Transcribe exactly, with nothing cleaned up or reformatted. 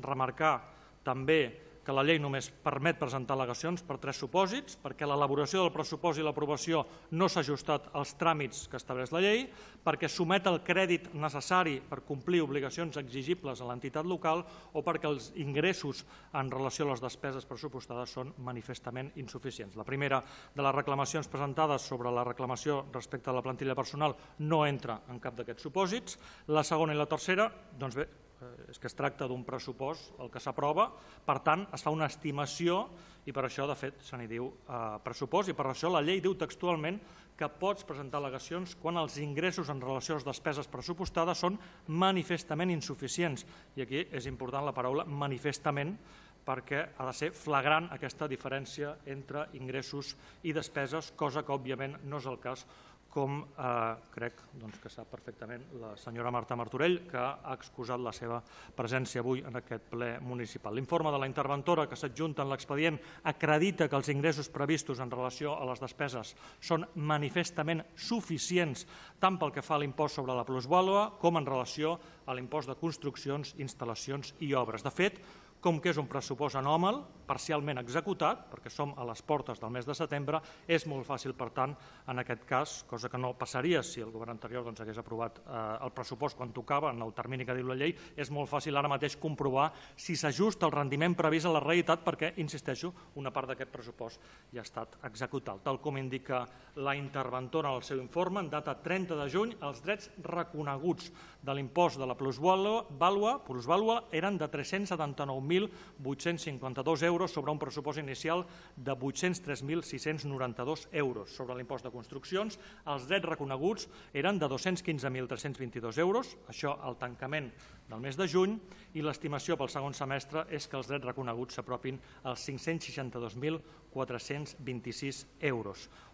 remarcar també que la llei només permet presentar al·legacions per tres supòsits, perquè l'elaboració del pressupost i l'aprovació no s'ha ajustat als tràmits que estableix la llei, perquè somet el crèdit necessari per complir obligacions exigibles a l'entitat local o perquè els ingressos en relació a les despeses pressupostades són manifestament insuficients. La primera de les reclamacions presentades sobre la reclamació respecte a la plantilla personal no entra en cap d'aquests supòsits. La segona i la tercera, doncs bé, és que es tracta d'un pressupost el que s'aprova, per tant, es fa una estimació i per això, de fet, se n'hi diu pressupost i per això la llei diu textualment que pots presentar al·legacions quan els ingressos en relació a les despeses pressupostades són manifestament insuficients. I aquí és important la paraula manifestament perquè ha de ser flagrant aquesta diferència entre ingressos i despeses, cosa que, òbviament, no és el cas, com crec que sap perfectament la senyora Marta Martorell, que ha excusat la seva presència avui en aquest ple municipal. L'informe de la interventora que s'adjunta en l'expedient acredita que els ingressos previstos en relació a les despeses són manifestament suficients tant pel que fa a l'impost sobre la plusvàlua com en relació a l'impost de construccions, instal·lacions i obres. De fet, com que és un pressupost anòmal, parcialment executat, perquè som a les portes del mes de setembre, és molt fàcil, per tant, en aquest cas, cosa que no passaria si el govern anterior hagués aprovat el pressupost quan tocava, en el termini que diu la llei, és molt fàcil ara mateix comprovar si s'ajusta el rendiment previst a la realitat perquè, insisteixo, una part d'aquest pressupost ja ha estat executat. Tal com indica la interventora en el seu informe, en data trenta de juny, els drets reconeguts de l'impost de la plusvàlua eren de tres-cents setanta-nou mil vuit-cents cinquanta-dos euros sobre un pressupost inicial de vuit-cents tres mil sis-cents noranta-dos euros. Sobre l'impost de construccions, els drets reconeguts eren de dos-cents quinze mil tres-cents vint-i-dos euros, això al tancament del mes de juny, i l'estimació pel segon semestre és que els drets reconeguts s'apropin als cinc-cents seixanta-dos mil quatre-cents vint-i-sis euros.